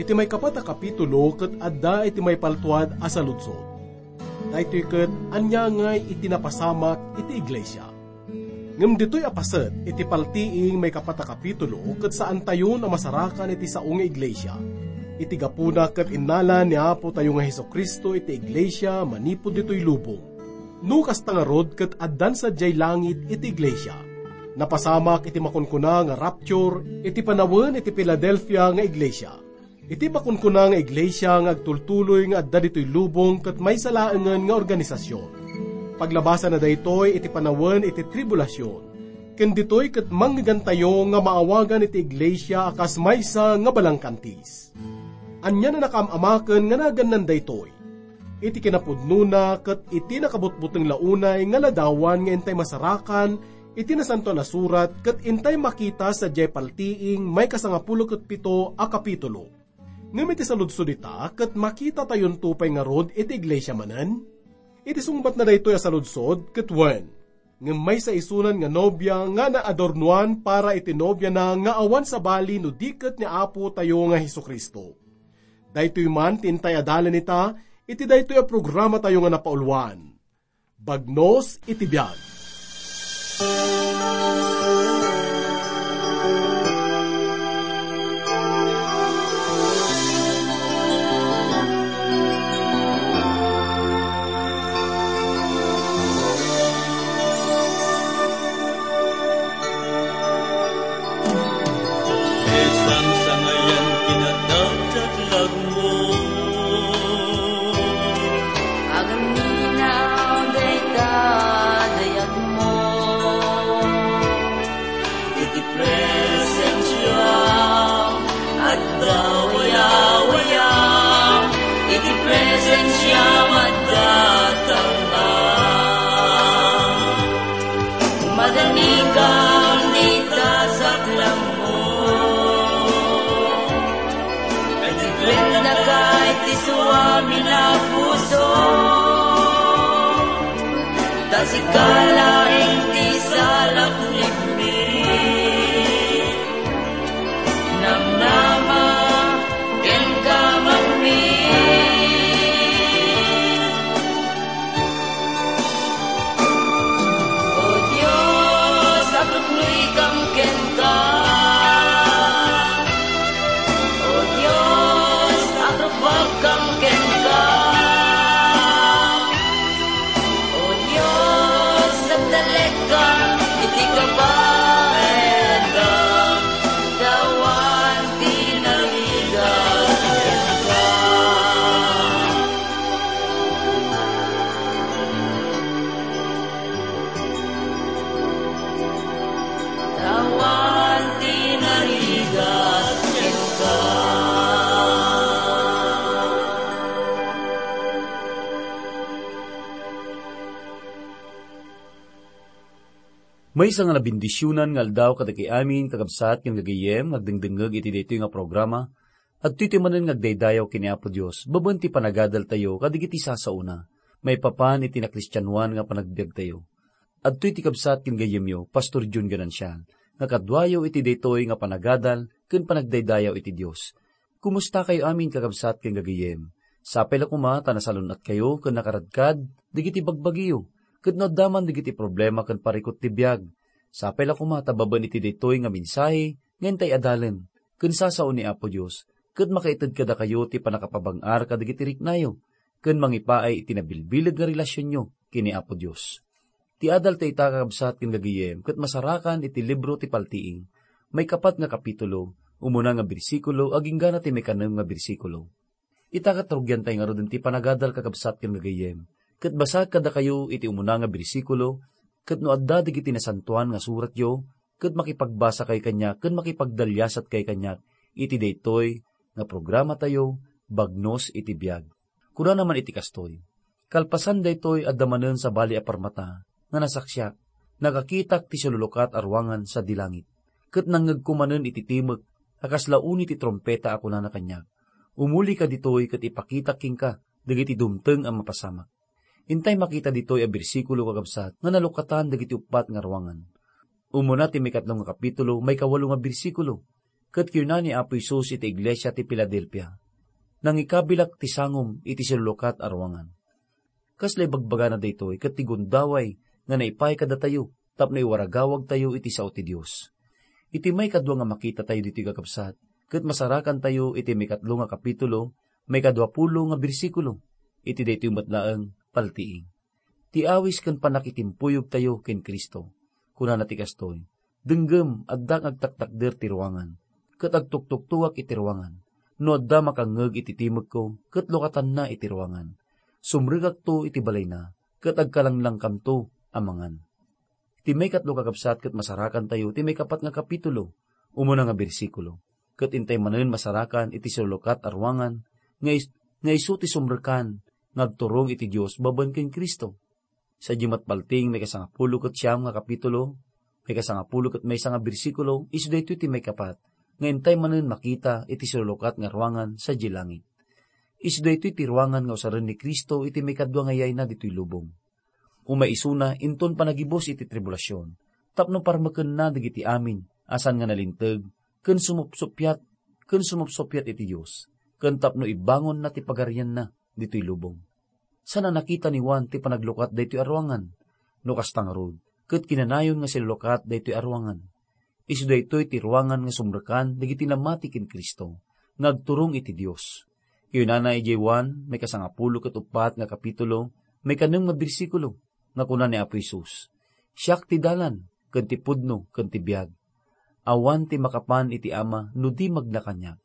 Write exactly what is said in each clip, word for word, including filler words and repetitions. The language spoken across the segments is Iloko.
Iti maikapat a kapitulo ket adda iti maipaltuad a saludsod. Daytoy ket ania ngay iti napasamak iti iglesia? Ngem ditoy a paset iti paltiing maikapat a kapitulo ket saantayon a masarakan iti sao nga iglesia. Iti gapuna ket innala ni Apo tayo nga Jesu-Cristo iti iglesia manipud ditoy lubong. No kasta ngarud ket addan sadiay langit iti iglesia. Napasamak iti makunkuna nga rapture iti panawen iti Filadelfia nga iglesia. Iti makunkuna nga iglesia nga agtultuloy nga adda ditoy lubong ket maysa laengen nga organisasion. Paglabasana daytoy iti panawen iti tribulasion. Ken ditoy ket mangngegentayo nga maawagan iti iglesia a kas maysa nga balangkantis. Ania a nakaam-amaken nga nagannan daytoy? Iti kinapudnona ket iti nakabutbuteng la unay nga ladawan nga intay masarakan iti Nasantoan a Surat ket intay makita sadiay paltiing maikasangapulo ket pito a kapitulo. Ngem iti saludsod ita, ket makitatayonto pay ngarud iti iglesia manen? Iti sungbatna daytoy a saludsod, ket wen, ngem maysa isunan nga nobia nga naadornoan para iti nobiana nga awan sabali no di ket ni Apo tayo nga Jesu-Cristo. Daytoy man ti intay a dalen ita iti daytoy a programatayo nga napauluan, Bagnos iti Biag. Sangayan kinadagdaglag mo. Agamina dayta dayag mo. Iti presensiam adda wayawayam. Iti presensiam adda tangngam. Madanikam dita saklang mo. Ket iplennaka iti suamin a puso. Ta sika laeng ti salaknibmi. Namnama kenka, mangmit. O Dios, agruknoykam kenka. O Dios, agrukbabkam kenka. O Dios, agtalekam iti kabaelam. Awan ti narigat kenka. Awan ti narigat kenka. Maysa nga nabendisionan nga aldaw kadagiti amin, kakabsat ken gagayyem, nga agdengdengngeg iti daytoy nga programa. Adtoy ti manen nga agdaydayaw ken ni Apo Dios, babaen ti panagadaltayo kadagiti sasaona, maipapan iti nakristianoan nga panagbiagtayo. Adtoy ti kabsat ken gayyemyo, Pastor Jun Ganancial, nga kaduayo iti daytoy nga panagadal ken panagdaydayaw iti Dios. Kumustakayo amin, kakabsat ken gagayyem? Sapay la koma ta nasalun-atkayo ken nakaradkad dagiti bagbagiyo, ket no adda man dagiti problema ken parikut ti biag. Sapay la koma ta babaen iti daytoy nga mensahe nga intay adalen ken sasao ni Apo Dios, ket makaited kadakayo ti pannakapabang-ar kadagiti riknayo, ken mangipaay iti nabilbileg nga relasionyo ken ni Apo Dios. Ti adal ta ita, kakabsat ken gagayyem, ket masarakan iti libro ti Paltiing, maikapat nga kapitulo, umuna nga bersikulo, agingga na ti maikanem nga bersikulo. Ita ket rugiantay ngaruden ti panagadal, kakabsat ken gagayyem, ket basaek kadakayo iti umuna nga bersikulo, ket no adda dagiti nasantoan nga suratyo, ket makipagbasakay kaniak ken makipagdaliasatkay kaniak iti daytoy nga programatayo, Bagnos iti Biag. Kunana man iti kastoy, "Kalpasan daytoy, adda manen sabali a parmata nga nasaksiak. Nakakitak ti silulukat a ruangan sadi langit. Ket nangngegko manen iti timek a kasla uni ti trumpeta a kunana kaniak, 'Umulika ditoy ket ipakitak kenka dagiti dumteng a mapasamak.'" Intay makita ditoy a bersikulo, kakabsat, nga nalukatan dagiti uppat nga ruangan. Umuna ti maikatlo nga kapitulo, maikawalo nga bersikulo. Ket kinuna ni Apo Jesus iti iglesia ti Filadelfia, "Nangikabilak ti sangom iti silulukat a ruangan." Kasla ibagbagana daytoy ket ti gundaway nga naipaay kadatayo tapno iwaragawagtayo iti sao ti Dios. Iti maikadua nga makitatayo ditoy, kakabsat, ket masarakantayo iti maikatlo nga kapitulo, maikadua pulo nga bersikulo, iti daytoy met laeng paltiing. Ti awis ken pannakitimpuyogtayo ken Cristo. Kunana ti kastoy, "Denggem, adda nga agtaktakder ti ruangan, ket agtuktuktuak iti ruangan. No adda makangngeg iti timekko, ket lukatanna iti ruangan. Sumrekakto iti balayna, ket agkalanglangkamto a mangan." Ti maikatlo, kakabsat, ket masarakantayo ti maikapat nga kapitulo, umuna nga bersikulo. Ket intay manen masarakan iti silulukat a ruangan nga is-, nga isu ti sumrekan nga agturong iti Dios babaen ken Cristo. Sadiay met paltiing maikasangapulo ket siam nga kapitulo, maikasangapulo ket maysa nga bersikulo, isu daytoy ti maikapat nga intay manen makita iti silulukat nga ruangan sadiay langit. Isu daytoy ti ruangan nga usaren ni Cristo iti maikadua nga yayna ditoy lubong. Umay isuna inton panagibus iti tribulasion, tapno parmekenna dagiti amin a saan nga nalinteg ken sumupsuppiat, ken sumupsuppiat iti Dios, ken tapno ibangonna ti pagarianna ditoy lubong. Saan a nakita ni Juan ti panaglukat daytoy a ruangan. No kasta ngarud, ket kinanayon nga sillukat daytoy a ruangan. Isu daytoy ti ruangan nga sumrekan dagiti namati ken Cristo nga agturong iti Dios. Kinunana idiay Juan, maikasangapulo ket uppat nga kapitulo, maikanem nga bersikulo, nga kuna ni Apo Jesus, "Siak ti dalan, ken ti pudno, ken ti biag. Awan ti makapan iti Ama no di magna kaniak."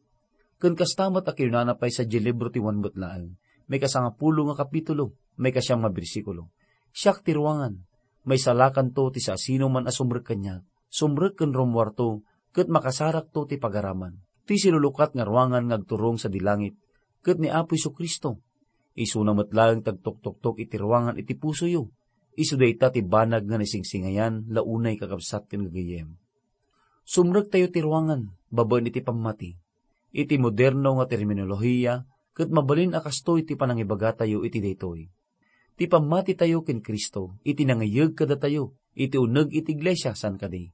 Ken kasta met a kinunana pay sadiay libro ti Juan met laeng, maikasangapulo nga kapitulo, maikasiam nga bersikulo, "Siak ti ruangan, maisalakanto ti siasinoman a sumrek kaniak, sumrek ken rummuarto, ket makasarakto ti pagaraman." Ti silulukat nga ruangan nga agturong sadi langit, ket ni Apo Jesu-Cristo. Isuna met laeng ti agtuktoktok iti ruangan iti pusoyo. Isu dayta ti banag nga naisingsingayan la unay, kakabsat ken gagayyem. Sumrektayo ti ruangan babaen iti pammati. Iti moderno nga terminolohiya, ket mabalin a kastoy ti panangibagatayo iti daytoy. Ti pammatitayo ken Cristo iti nangayeg kadatayo iti uneg iti iglesia, saan kadi?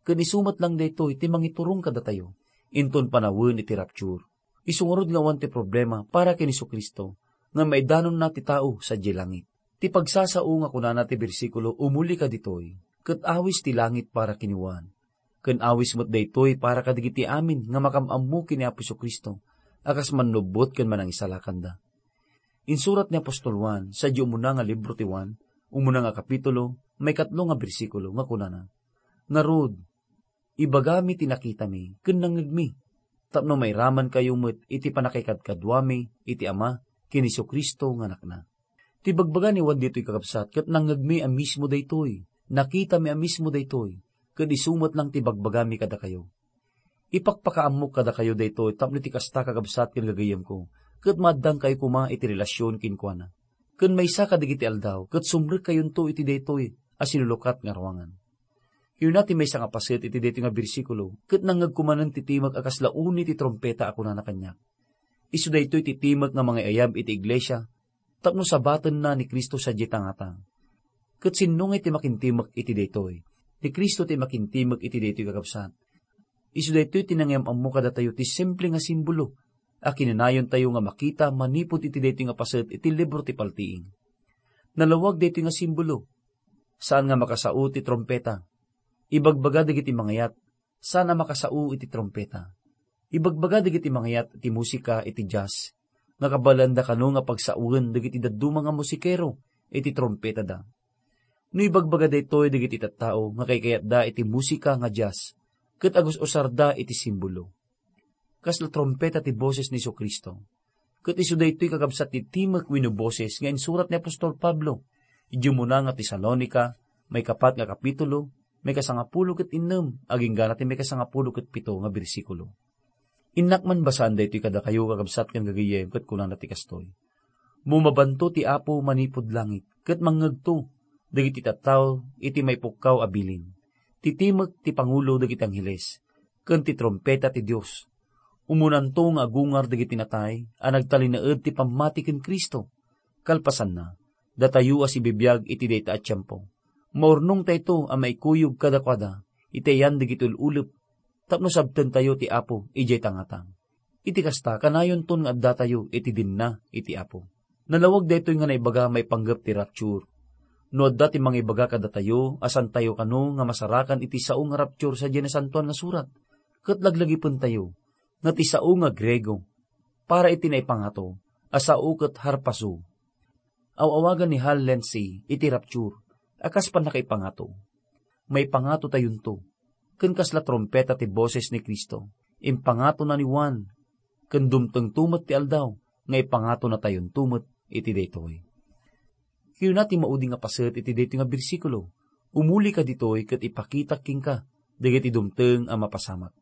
Ken isu met lang daytoy ti mangiturong kadatayo inton panawen iti rapture. Isu ngarud nga awan ti problema para ken Jesu-Cristo nga maidanonna ti tao sadiay langit. Ti pagsasao nga kunana ti bersikulo umuli kaditoy, ket awis ti langit para ken ni Juan, ken awis met daytoy para kadagiti amin nga makam-ammo ken ni Apo Jesu-Cristo a kas mannubbot ken manangisalakanda. Insurat ni apostol Juan sadiay umuna nga libro ti Juan, umuna nga kapitulo, maikatlo nga bersikulo, nga kunana, "Ngarud, ibagami ti nakitami ken nangngegmi, tapno mairamankayo met iti pannakaikadkaduami iti Ama ken Jesu-Cristo nga Anakna." Ti ibagbaga ni Juan ditoy, kakabsat, ket nangngegmi a mismo daytoy, nakitami a mismo daytoy, ket isu met lang ti ibagbagami kadakayo. Ipakpakaammok kadakayo daytoy tapno iti kasta, kakabsat ken gagayyemko, ket maaddangkayo koma iti relasyon kenkuana. Ken maysa kadagiti aldaw, ket sumrekkayonto iti daytoy a sinulukat nga ruangan. Kinuna ti maysa nga paset iti daytoy nga bersikulo, ket nangngegko manen ti timek a kasla uni ti trumpeta a kunana kaniak, "Isu daytoy ti timek nga mangay-ayab iti iglesia, tapno sabatenna ni Cristo sadiay tangata." Ket sinno ngay ti makintimek iti daytoy? Ni Cristo ti makintimek iti daytoy, kakabsat. Isu daytoy ti nangiyam-ammo kadatayo ti simple nga simbolo a kinunayontayo nga makita manipud iti daytoy nga paset iti libro ti Paltiing. Nalawag daytoy nga simbolo. Saan nga makasao ti trumpeta. Ibagbaga dagiti mangayat, saan a makasao iti trumpeta. Ibagbaga dagiti mangayat iti musika iti jazz nga kabaelanna kano nga pagsaoen dagiti dadduma nga musikero iti trumpetada. No ibagbaga daytoy dagiti tattao nga kaykayatda iti musika nga jazz ket agus-usarda iti simbolo. Kasla trumpeta ti boses ni Jesu-Cristo. Ket isu daytoy, kakabsat, ti timek wenno boses nga insurat ni apostol Pablo idiay umuna nga Tesalonica, maikapat nga kapitulo, maikasangapulo ket innem, agingga ti maikasangapulo ket pito nga bersikulo. Innak man basaan daytoy kadakayo, kakabsat ken gagayyem, ket kunana ti kastoy, "Mo mabanto ti Apo manipud langit, ket mangngegto dagiti tattao iti maipukkaw a bilin, ti timek ti pangulo dagiti angheles, ken ti trumpeta ti Dios. Umunanto nga agungar dagiti natay a nagtalinaed ti pammati ken Cristo. Kalpasanna, datayo a sibibiag iti dayta a tiempo, maurnongtayto a maikuyog kadakuada iti ayan dagiti ul-ulep tapno sabtentayo ti Apo idiay tangatang. Iti kasta, kanayonton nga addatayo iti dinna iti Apo. Nalawag daytoy nga naibaga maipanggep ti rapture. No adda ti mangibaga kadatayo a santayo kano nga masarakan iti sao nga rapture sadiay Nasantoan nga Surat, ket laglagipentayo nga ti sao nga Griego para iti naipangato a sao ket harpazo. Aw-awagan ni Hal Lindsey iti rapture a kas pannakaipangato. Maipangatotayonto, ken kasla trumpeta ti boses ni Cristo, impangatona ni Juan, ken dumtengto met ti aldaw nga ipangatonatayonto met iti daytoy. Kinuna ti maudi nga paset iti daytoy nga bersikulo, "Umulika ditoy ket ipakitak kenka dagiti dumteng a mapasamak."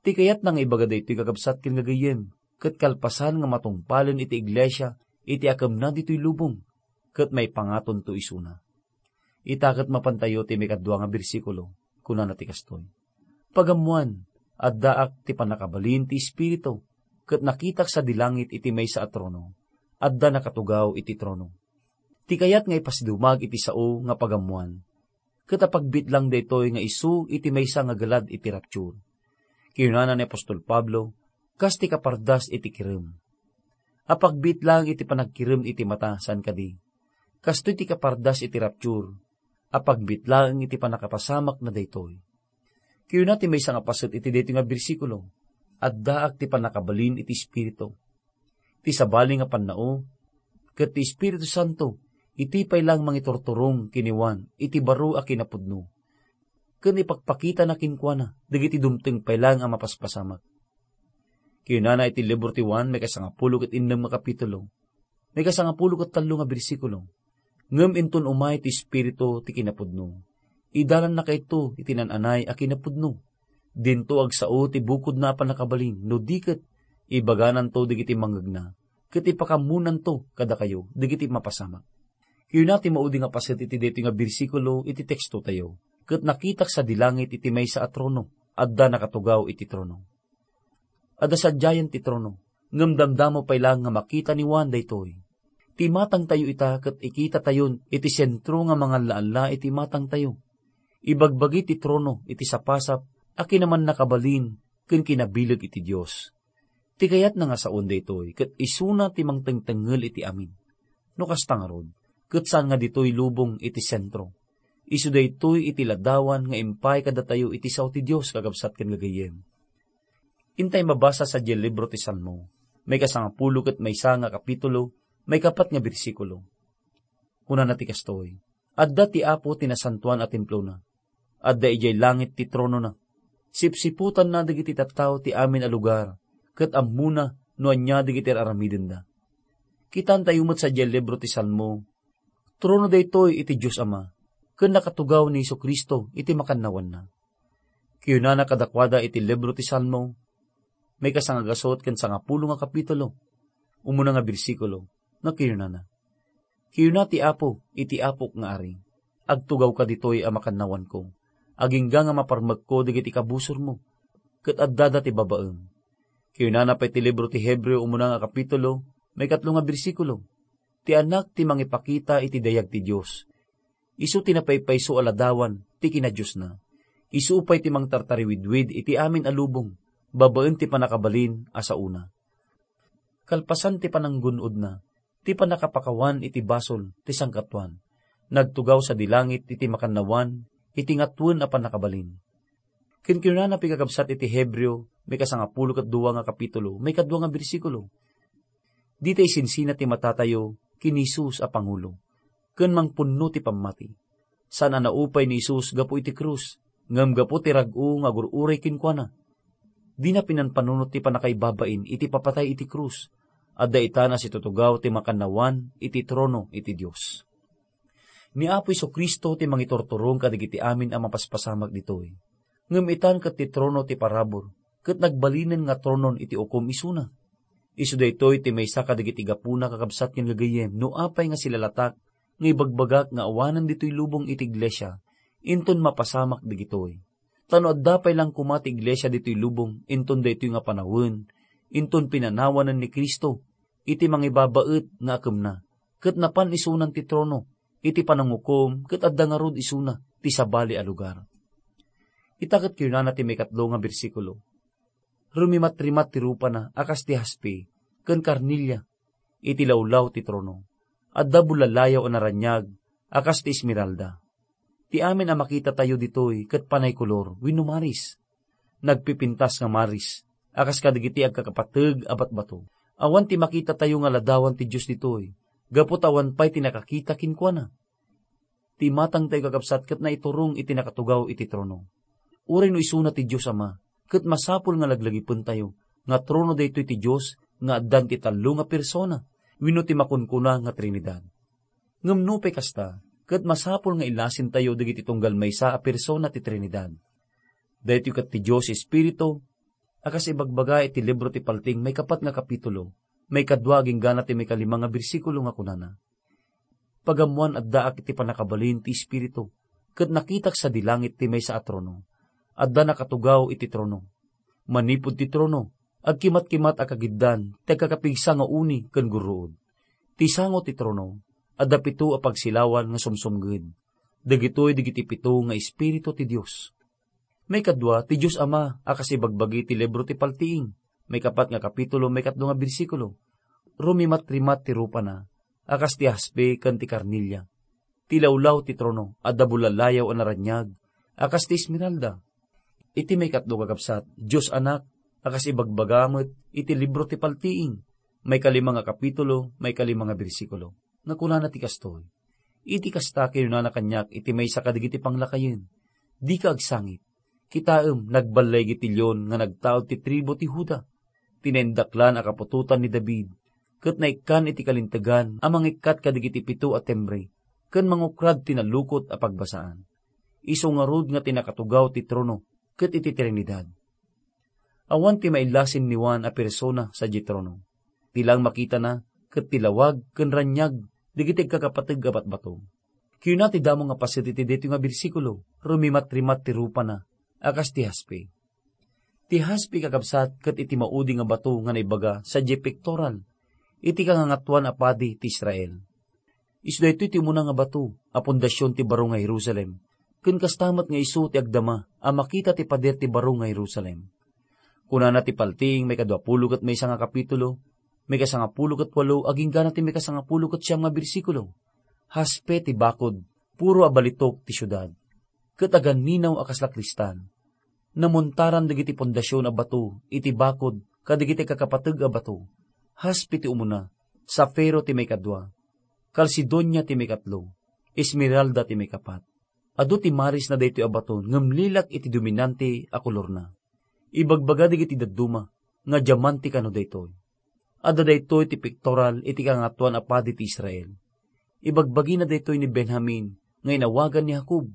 Ti kayatna nga ibaga daytoy, kakabsat ken gagayyem, ket kalpasan nga matungpalen iti iglesia iti akemna ditoy lubong, ket maipangatonto isuna. Ita ket mapantayo ti maikadua nga bersikulo, kunana ti kastoy, "Pagammoan, addaak ti pannakabalin ti Espiritu, ket nakitak sadi langit iti maysa a trono. Adda nakatugaw iti trono." Ti kayat nga ipasidumag iti sao nga pagammoan, ket apagbitlang daytoy nga isu iti maysa nga galad iti rapture. Kinunana ni apostol Pablo, kas ti kapardas iti kirem. Apagbitlang iti panagkirem iti mata, saan kadi? Kastoy ti kapardas iti rapture, apagbitlang iti pannakapasamak na daytoy. Kinuna ti maysa nga paset iti daytoy nga bersikulo, "Addaak ti pannakabalin iti Espiritu." Ti sabali nga pannao, ket ti Espiritu Santo, iti pay lang mangiturturong ken ni Juan iti baro a kinapudno, ken ipakpakitana kenkuana dagiti dumteng pay lang a mapaspasamak. Kinunana iti libro ti Juan, maikasangapulo ket innem nga kapitulo, maikasangapulo ket tallo nga bersikulo, "Ngem inton umay ti Espiritu ti kinapudno, idanannakayto iti naan-anay a kinapudno. Dinto agsao ti bukodna a pannakabalin, no di ket ibagananto dagiti mangngegna, ket ipakammonanto kadakayo dagiti mapasamak." Kinuna ti maudi nga paset iti daytoy nga bersikulo iti tekstotayo, "Ket nakitak sadi langit iti maysa a trono, adda nakatugaw iti trono." Adda sadiayen ti trono, ngem damdamo pay lang nga makita ni Juan daytoy. Ti imatangtayo ita ket ikitatayon iti sentro nga mangallaalla iti imatangtayo. Ibagbagi ti trono iti sapasap a kinamannakabalin ken kinabileg iti Dios. Ti kayatna nga saon daytoy ket isuna ti mangtengtengngel iti amin. No kasta ngarud, ket saan nga ditoy lubong iti sentro. Isu daytoy iti ladawan nga impay kadatayo iti sao ti Dios, kakabsat ken gagayyem. Intay mabasa sadiay libro ti Salmo, maikasangapulo ket maysa nga kapitulo, maikapat nga bersikulo. Kunana ti kastoy, "Adda ti Apo ti nasantoan a templona. Adda idiay langit ti tronona. Sipsiputanna dagiti tattao ti amin a lugar, ket ammona no ania dagiti ar-aramidenda." Kitantayo met sadiay libro ti Salmo, trono daytoy iti Dios Ama, ken nakatugaw ni Jesu-Cristo iti makannawanna. Kinunana kadakuada iti libro ti Salmo, maikasangagasut ken sangapulo nga kapitulo, umuna nga bersikulo, nga kinunana, "Kinuna ti Apo iti Apok nga Ari, 'Agtugawka ditoy a makannawanko, agingga nga maparmekko dagiti kabusormo, ket addada ti babaem.'" Kinunana pay ti libro ti Hebreo, umuna nga kapitulo, maikatlo nga bersikulo, "Ti Anak ti mangipakita iti dayag ti Dios. Isu ti napaypayso a ladawan ti kinadiosna. Isu pay ti mangtartariwidwid iti amin a lubong babaen ti pannakabalin a saona." Kalpasan ti pananggun-odna, ti pannakapakawan iti basol ti sangkatuan, nagtugaw sadi langit iti makannawan iti ngatoen a pannakabalin. Ken kinunana pay, kakabsat, iti Hebreo, maikasangapulo ket dua nga kapitulo, maikadua nga bersikulo, "Dita isinsina ti matatayo ken ni Jesus a pangulo, ken mangpunno ti pammati. Saan a naupay ni Jesus gapu iti krus, ngem gapu ti rag-o nga agur-uray kenkuana. Dina pinanpanunot ti pannakaibabain iti papatay iti krus. Adda itan a situtugaw ti makannawan iti trono iti Dios." Ni Apo Jesu-Cristo ti mangiturturong kadagiti amin a mapaspasamak ditoy. Ngem itan ket ti trono ti parabur, ket nagbalinen nga tronon iti ukom isuna. Isu daytoy ti maysa kadagiti gapuna, kakabsat ken gagayyem, no apay nga silalatak nga ibagbagak nga awanen ditoy lubong iti iglesia, inton mapasamak dagitoy. Ta no adda pay lang koma ti iglesia ditoy lubong inton daytoy nga panawen, inton pinanawanen ni Cristo iti mangibabaet nga akemna, ket napan isunan ti trono iti panangukom, ket adda ngarud isuna ti sabali a lugar. Ita ket kinunana ti maikatlo nga bersikulo, "Rumimatrimat ti rupana a kas ti haspe ken karnelia iti lawlaw ti trono. Adda bulalayaw a naraniag a kas ti esmeralda." Ti amin a makitatayo ditoy ket panay kolor wenno maris. Nagpipintas nga maris a kas kadagiti agkakapateg a batbato. Awan ti makitatayo nga ladawan ti Dios ditoy, gapu ta awan pay ti nakakita kenkuana. Ti imatangtayo, kakabsat, ket naiturong iti nakatugaw iti trono. Uray no isuna ti Dios Ama, ket masapul nga laglagipentayo nga trono daytoy ti Dios nga addan ti tallo nga persona wenno ti makunkuna nga Trinidad. Ngem nupay kasta, ket masapul nga ilasentayo dagiti tunggal maysa a persona ti Trinidad. Daytoy ket ti Dios Espiritu, a kas ibagbaga iti libro ti Paltiing maikapat nga kapitulo, maikadua agingga ti maikalima nga bersikulo nga kunana, "Pagammoan addaak iti pannakabalin ti Espiritu, ket nakitak sadi langit ti maysa a trono. Adda nakatugaw iti trono. Manipud ti trono, agkimatkimat a kagiddan ti agkakapigsa nga uni ken gurruod. Ti sango ti trono, adda pito a pagsilawan nga sumsumged. Dagitoy dagiti pito nga espiritu ti Dios." Maikadua, ti Dios Ama a kas ibagbagi ti libro ti Paltiing, maikapat nga kapitulo, maikatlo nga bersikulo, "Rumimatrimat ti rupana a kas ti haspe ken ti karnelia. Ti lawlaw ti trono adda bulalayaw a naraniag a kas ti esmeralda." Iti maikatlo, kakabsat, Dios Anak a kas ibagbaga met iti libro ti Paltiing, maikalima nga kapitulo, maikalima nga bersikulo, nga kunana ti kastoy, "Iti kasta, kinunana kaniak iti maysa kadagiti panglakayen, 'Dika agsangit. Kitaem, nagballay iti leon nga nagtaud ti tribu ti Juda. Ti naindaklan a kaputotan ni David, ket naikkan iti kalintegan a mangikkat kadagiti pito a timbre ken mangukrad ti nalukot a pagbasaan. Isu ngarud nga ti nakatugaw ti trono ket iti Trinidad.'" Awan ti mailasin ni Juan a persona sadiay trono. Ti laeng makitana ket ti lawag ken raniag dagiti agkakapateg a batbato. Kuna ti damo nga paset iti daytoy nga bersikulo, "Rumimatrimat ti rupana a kas ti haspe." Ti haspe, kakabsat, ket iti maudi nga bato nga naibaga sadiay pektoral iti Kangangatoan a Padi ti Israel. Isu daytoy ti umuna nga bato a pundasion ti baro nga Jerusalem, ken kasta met nga isu ti agdama a makita ti pader ti baro nga Jerusalem. Kunana ti Paltiing maikaduapulo ket maysa nga kapitulo, maikasangapulo ket walo agingga ti maikasangapulo ket siam nga bersikulo, "Haspe ti bakod, puro a balitok ti siudad, ket aganninaw a kasla kristal. Namuntaran dagiti pundasion a bato iti bakod kadagiti kakapateg a bato. Haspe ti umuna, safiro ti maikadua, kalsedonia ti maikatlo, esmeralda ti maikapat. Adu ti marisna daytoy a bato ngem lilak iti dominante a kolorna. Ibagbaga dagiti dadduma nga diamante kano daytoy. Adda daytoy ti pektoral iti Kangatoan a Padi ti Israel. Ibagbagina daytoy ni Benjamin nga inawagan ni Jacob,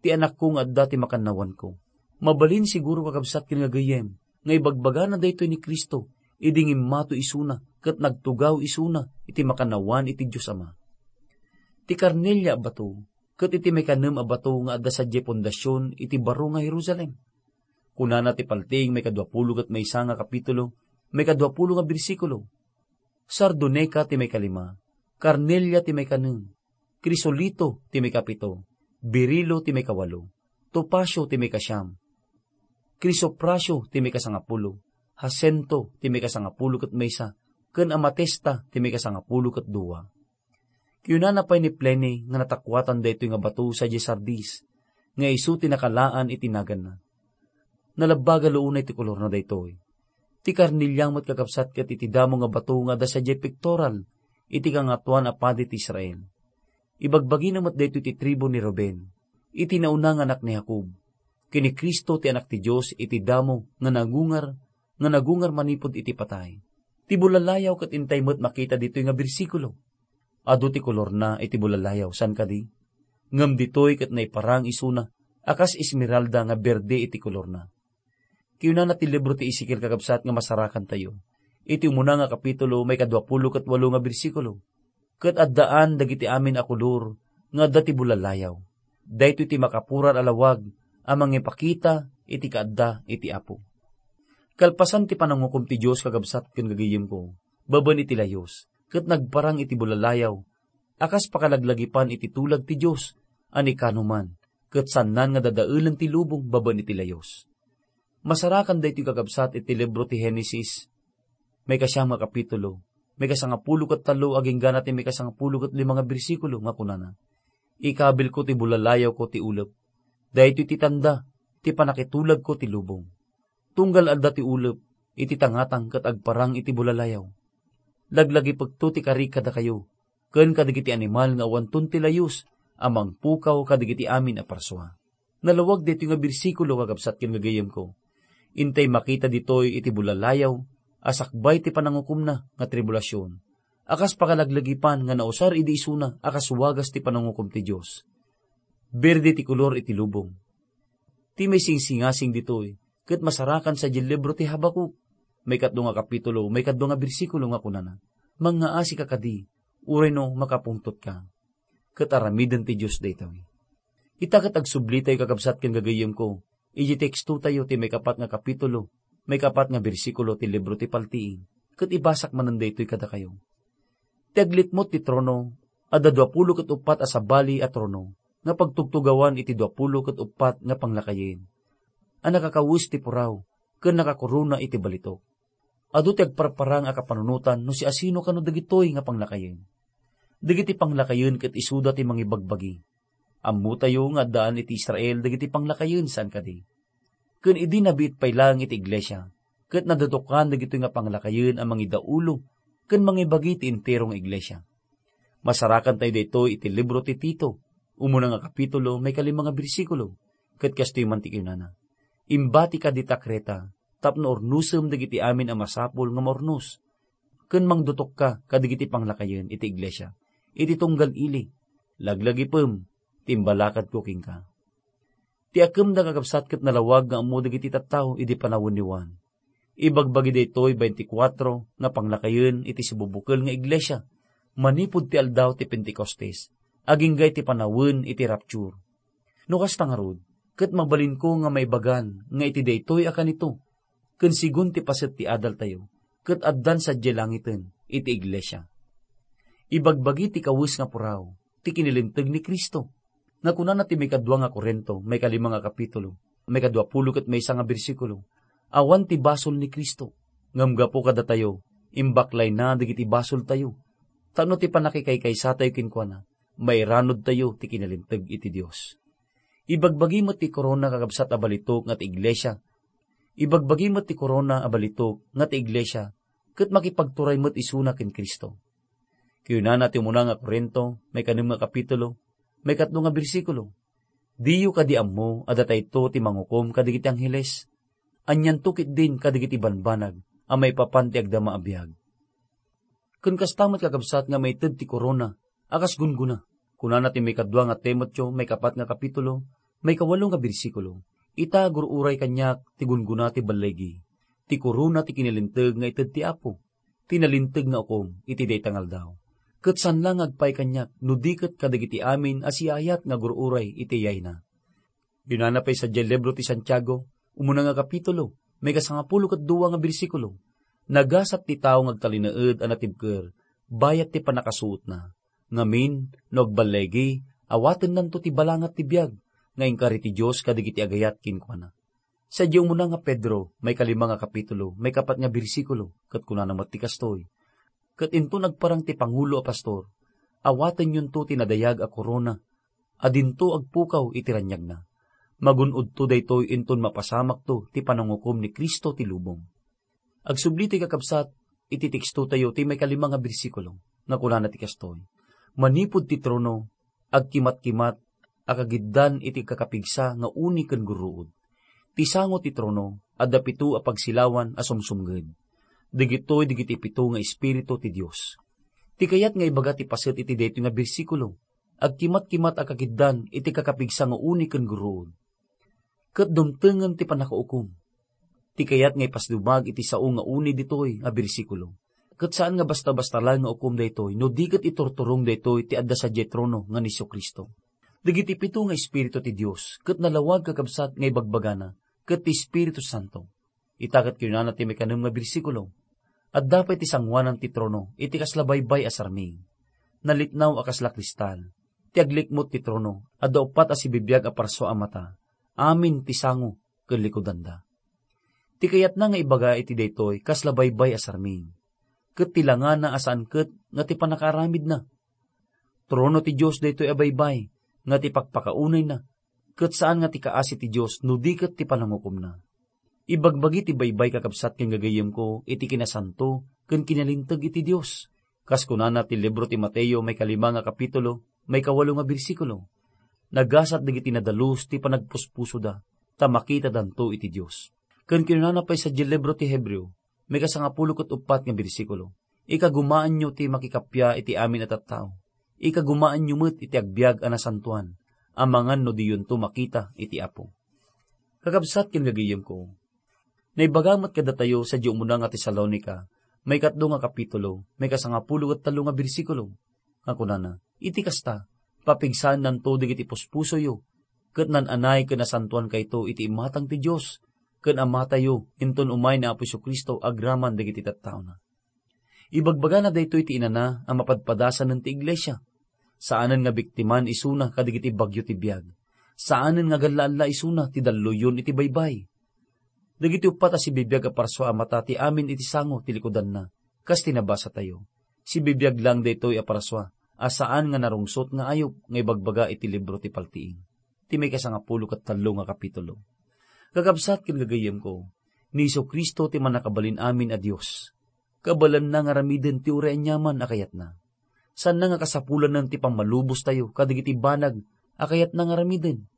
'Ti anakko nga adda ti makannawanko.' Mabalin siguro, kakabsat ken nga gayyem, nga ibagbagana daytoy ni Cristo idi ngimmato isuna ket nagtugaw isuna iti makannawan iti Dios Ama. Ti karnelia a bato ket iti maikanem a bato nga adda sadiay pundasion iti baro nga Jerusalem. Kunana ti Paltiing maikaduapulo ket maysa nga kapitulo, maikaduapulo nga bersikulo, "Sardoneka ti maikalima, karnelia ti maikanem, krisolito ti maikapito, berilo ti maikawalo, topasio ti maikasiam, krisoprasio ti maikasangapulo, hasento ti maikasangapulo ket maysa, ken amatesta ti maikasangapulo ket dua." Kinunana pay ni Pliny nga natakuatan daytoy nga bato sadiay Sardis, nga isu ti nakalaan iti naganna. Nalabbaga la unay ti kolorna daytoy. Ti karnelia met, kakabsat, ket iti damo nga bato nga adda sadiay pektoral iti Kangatoan a Padi ti Israel. Ibagbagina met daytoy ti tribu ni Ruben, iti nauna nga anak ni Jacob, ken ni Cristo ti Anak ti Dios iti damo nga nagungar, nga nagungar manipud iti patay. Ti bulalayaw ket intay met makita ditoy nga bersikulo. Adu ti kolorna iti bulalayaw, saan kadi? Ngem ditoy ket naiparang isuna a kas esmeralda nga berde iti kolorna. Kinunana ti libro ti Ezekiel, kakabsat, nga masarakantayo iti umuna nga kapitulo, maikaduapulo ket walo nga bersikulo, "Ket addaan dagiti amin a kolor nga adda ti bulalayaw. Daytoy ti makapurar a lawag a mangipakita iti kaadda iti Apo." Kalpasan ti panangukom ti Dios, kakabsat ken gagayyemko, babaen iti layus, ket nagparang iti bulalayaw a kas pakalaglagipan iti tulag ti Dios a ni kanoman, ket saannan nga dadaelen ti lubong babaen iti layus. Masarakan daytoy, kakabsat, iti libro ti Genesis, maikasiam nga kapitulo, maikasangapulo ket tallo agingga na ti maikasangapulo ket lima nga bersikulo nga kunana, "Ikabilko ti bulalayawko ti ulep. Daytoy ti tanda ti pannakitulagko ti lubong. Tunggal adda ti ulep iti tangatang ket agparang iti bulalayaw. Laglagipekto ti karik kadakayo, ken kadagiti animal nga awanton ti layus a mangpukaw kadagiti amin a parsua." Nalawag daytoy nga bersikulo, kakabsat ken gagayyemko. Intay makita ditoy iti bulalayaw a sakbay ti panangukomna nga tribulasion, a kas pakalaglagipan nga nausar idi isuna a kas wagas ti panangukom ti Dios. Berde ti kolor iti lubong. Ti maisingsingasing ditoy ket masarakan sadiay libro ti Habakuk, maikatlo nga kapitulo, maikadua nga bersikulo nga kunana, "Mangngaasika kadi, uray no makapungtotka." Ket aramiden ti Dios daytoy. Ita ket agsublitayo, kakabsat ken gagayyemko, iti tekstotayo ti maikapat nga kapitulo, maikapat nga bersikulo ti libro ti Paltiing, ket ibasak manen daytoy kadakayo. Ti aglitmot ti trono, adda duapulo ket uppat a sabali a trono nga pagtugtugawan iti duapulo ket uppat nga panglakayen a nakakawes ti puraw ken nakakorona iti balitok. Adu ti agparparang a kapanunotan no siasino kano dagitoy nga panglakayen. Dagiti panglakayen ket isuda ti mangibagbagi. Ammotayo nga addaan iti Israel dagiti panglakayen, saan kadi? Ken idi nabiit pay laeng iti iglesia, ket nadutokan dagitoy nga panglakayen a mangidaulo ken mangibagi ti entero nga iglesia. Masarakan tayo daytoy iti libro ti Tito, umuna nga kapitulo, maikalima nga bersikulo, ket kastoy man ti kinunana, "Imbati kadi ta Creta, tapno urnosem dagiti amin a masapul nga maurnos, ken mangdutokka kadagiti panglakayen iti iglesia iti tunggal ili. Laglagipem ti imbalakadko kenka." Ti akemda, kakabsat, ket nalawag nga ammo dagiti tattao idi panawen ni Juan. Ibagbagi daytoy twenty-four nga panglakayen iti sibubukel nga iglesia manipud ti aldaw ti Pentecostes, agingga iti panawen iti rapture. No kasta ngarud, ket mabalinko nga maibagan nga iti daytoy a kanito, ken sigun ti paset ti adaltayo, ket addan sadiay langiten iti iglesia. Ibagbagi ti kawes nga puraw ti kinalinteg ni Cristo, nga kunana ti maikadua nga Corinto, maikalima nga kapitulo, maikaduapulo ket maysa nga bersikulo, "Awan ti basol ni Cristo, ngem gapu kadatayo, imbaklayna dagiti basoltayo, tapno ti pannakikaysatayo kenkuana, mairanudtayo ti kinalinteg iti Dios." Ibagbagi met ti korona, kakabsat, a balitok nga ti iglesia. Ibagbagi met ti korona a balitok nga ti iglesia, ket makipagturay met isuna ken Cristo. Kinunana ti umuna nga Corinto, maikanem nga kapitulo, maikatlo nga bersikulo, "Diyo kadi ammo a datayto ti mangukom kadagiti angheles? Anianto ketdin kadagiti banbanag a maipapan ti agdama a biag?" Ken kasta met, kakabsat, nga maited ti korona a kas gunggona. Kunana ti maikadua nga Timoteo, maikapat nga kapitulo, maikawalo nga bersikulo, "Ita, gur-uray kaniak ti gunggona ti balligi, ti korona ti kinalinteg nga ited ti Apo, ti nalinteg nga ukom iti dayta nga aldaw. Ket saan la nga agpaay kaniak no di ket kadagiti amin a siaayat nga gur-uray iti yayna." Kinunana pay sadiay libro ti Santiago, umuna nga kapitulo, maikasangapulo ket dua nga bersikulo, "Nagasat ti tao nga agtalinaed a natibker bayat ti pannakasuotna. Ngamin, no agballigi, awatennanto ti balangat ti biag nga inkari ti Dios kadagiti agayat kenkuana." Sadiay umuna nga Pedro, maikalima nga kapitulo, maikapat nga bersikulo, ket kunana met ti kastoy, "Ket inton agparang ti pangulo a pastor, awatenyonto ti nadayag a korona a dinto agpukaw iti raniagna. Magun-odto daytoy inton mapasamakto ti panangukom ni Cristo ti lubong." Agsubli ti kakabsat iti tekstotayo ti maikalima nga bersikulo, nga kunana ti kastoy, "Manipud ti trono, agkimatkimat a kagiddan iti kakapigsa nga uni ken gurruod. Ti sango ti trono, adda pito a pagsilawan a sumsumnged. Dagitoy dagiti pito nga espiritu ti Dios." Ti kayat nga ibaga ti paset iti daytoy nga bersikulo, agkimatkimat a kakiddan iti kakapigsa nga uni ken gurruod. Ket dumtengen ti pannakaukom. Ti kayat nga ipasdumag iti sao nga uni ditoy a bersikulo, ket saan nga basta-basta laeng nga ukom daytoy no di ket iturturong daytoy ti adda sadiay trono nga ni Jesu-Cristo. Dagiti pito nga espiritu ti Dios ket nalawag, kakabsat, nga ibagbagana ket ti Espiritu Santo. Ita ket kinunana ti maikanem nga bersikulo, "Adda pay ti sangoanan ti trono iti kasla baybay a sarming. Nalitnaw a kasla kristal. ti aglikmut ti trono, adda uppat a sibibiag a parsua a mata, amin ti sango ken likudanda. Ti kayatna nga ibaga iti daytoy kasla baybay a sarming, ket ti langana a saan ket nga ti pannakaaramidna. Trono ti Dios daytoy a baybay nga ti pakpakaunayna, ket saan nga ti kaasi ti Dios no di ket ti panangukomna. Ibagbagi ti baybay, kakabsat ken gagayyemko, iti kinasanto ken kinalinteg iti Dios. Kas kunana ti libro ti Mateo, may kalima nga kapitulo, may kawalo nga bersikulo, "Nagasat dagiti nadalus ti panagpuspusoda, ta makitadanto iti Dios." Ken kinunana pay sadiay libro ti Hebreo, may kasangapulo ket uppat nga bersikulo, "Ikagumaanyo ti makikappia iti amin a tattao. Ikagumaanyo met iti agbiag a nasantoan, amangan no diyonto makita iti Apo." Kakabsat ken gagayyemko, naibaga met kadatayo sadiay umuna nga Tesalonica, may katlo nga kapitulo, may kasangapulo ket tallo nga bersikulo, nga kunana, "Iti kasta, papigsaennanto dagiti puspusoyo, ket naan-anay ken nasantoankayto iti imatang ti Dios ken Amatayo inton umay ni Apo Jesu-Cristo agraman dagiti tattaona." Ibagbagana daytoy ti inana a mapadpadasanen ti iglesia. Saanen nga biktiman isuna kadagiti bagyo ti biag. Saanen nga galla-alla isuna ti dalluyon iti baybay. Dagiti uppat a sibibiag a parsua a mata ti amin iti sango ti likudanna, kas ti nabasatayo. Sibibiag lang daytoy a parsua a saan nga narungsot nga ayup nga ibagbaga iti libro ti Paltiing, ti may kasangapulo ket tallo nga kapitulo. Kakabsat ken gagayyemko, ni Jesu-Cristo ti mannakabalin amin a Dios. Kabaelanna nga aramiden ti uray aniaman a kayatna. Saanna nga kasapulanen ti pammalubostayo kadagiti banag a kayatna nga aramiden.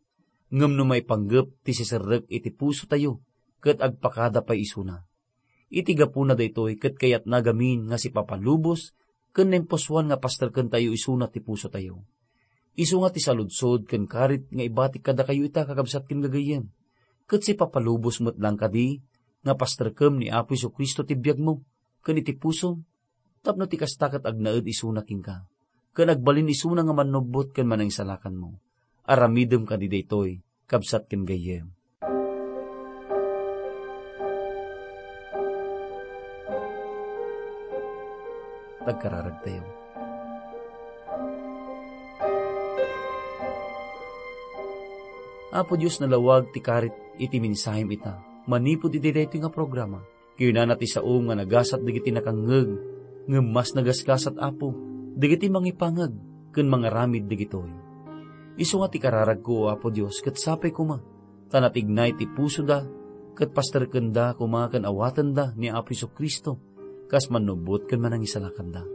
Ngem no maipanggep ti siserrek iti pusotayo ket agpakada pay isuna. Iti gapuna daytoy ket kayatna gamin nga sipapalubos ken naimpusoan nga pasterkentayo isuna ti pusotayo. Isu nga ti saludsod ken karit nga ibatik kadakayo ita, kakabsat ken gagayyem. Ket sipapalubos met lang kadi nga pasterkem ni Apo Jesu-Cristo ti biagmo ken iti pusom, tapno ti kasta ket agnaed isuna kenka, ken agbalin isuna nga mannubbot ken manangisalakanmo. Aramidem kadi daytoy, kabsat ken gayyem. Agkararagtayo. Apo Dios, nalawag ti karit iti mensahem ita manipud iti daytoy nga programa. Kinunana ti saom nga nagasat dagiti nakangngeg, ngem mas nagasgasat, Apo, dagiti mangipangeg ken mangaramid dagitoy. Isu nga ti kararagko, O Apo Dios, ket sapay koma ta natignay ti pusoda, ket pasterkenda koma ken awatenda ni Apo Jesu-Cristo kas mannubbot ken manangisalakanda.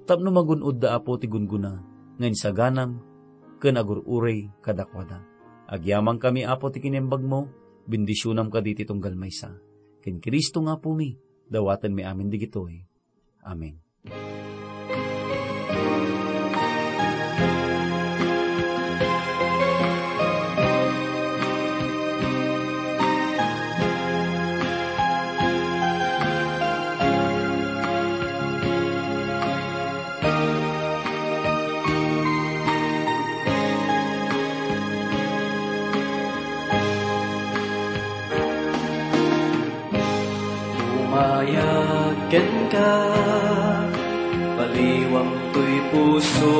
Tapno magun-odda, Apo, ti gunggona nga insaganam ken agur-urey kadakuada. Agyamankami, Apo, ti kinaimbagmo, bendisionam kadi ti tunggal maysa. Ken Cristo nga Apomi, dawatenmi amin dagitoy. Amen. Umayag kenka, baliwam toy puso,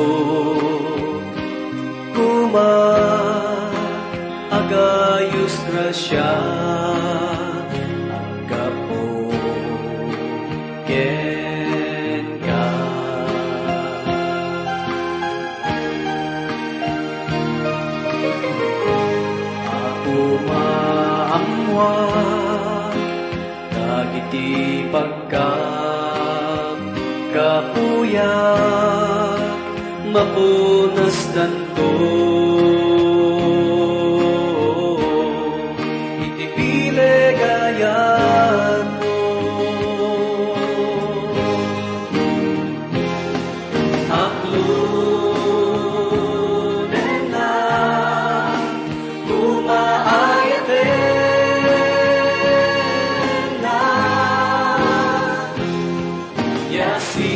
koma, agayus grasia, aggapu kenka. Apo, maammoak dagiti pagkapkapuyak, mapunasdanto iti bileg a yadmo. Aklonenna, kumaayatenna, yasinenna,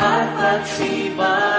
at pagsipa